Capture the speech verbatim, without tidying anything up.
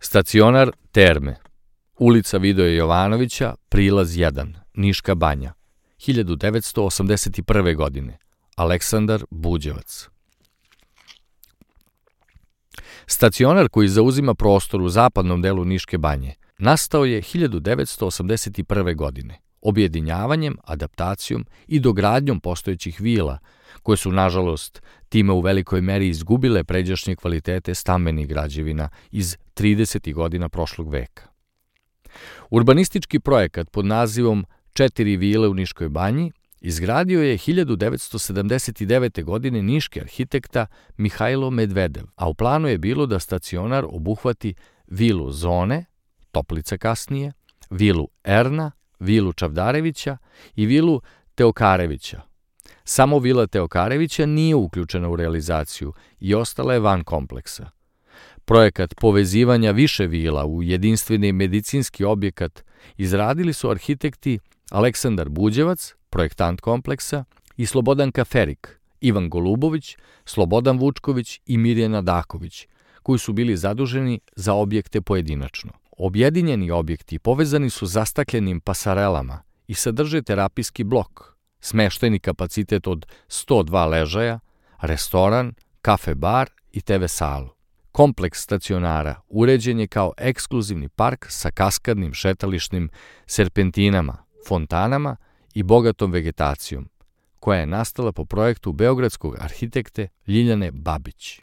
Stacionar Terme, ulica Vidoje Jovanovića, prilaz jedan, Niška banja, hiljadu devetsto osamdeset prve. godine, Aleksandar Buđevac. Stacionar koji zauzima prostor u zapadnom delu Niške banje nastao je hiljadu devetsto osamdeset prve. godine, objedinjavanjem, adaptacijom i dogradnjom postojećih vila, koje su, nažalost, time u velikoj meri izgubile pređašnje kvalitete stambenih građevina iz tridesetih godina prošlog veka. Urbanistički projekat pod nazivom Četiri vile u Niškoj banji izgradio je hiljadu devetsto sedamdeset devete. godine niški arhitekta Mihajlo Medvedev, a u planu je bilo da stacionar obuhvati vilu Zone, Toplica kasnije, vilu Erna, vilu Čavdarevića i vilu Teokarevića. Samo vila Teokarevića nije uključena u realizaciju i ostala je van kompleksa. Projekat povezivanja više vila u jedinstveni medicinski objekat izradili su arhitekti Aleksandar Buđevac, projektant kompleksa, i Slobodanka Ferik, Ivan Golubović, Slobodan Vučković i Mirjana Daković, koji su bili zaduženi za objekte pojedinačno. Objedinjeni objekti povezani su zastakljenim pasarelama i sadrže terapijski blok, smeštajni kapacitet od sto dva ležaja, restoran, kafe-bar i te ve salu. Kompleks stacionara uređen je kao ekskluzivni park sa kaskadnim šetališnim serpentinama, fontanama i bogatom vegetacijom, koja je nastala po projektu beogradskog arhitekte Ljiljane Babić.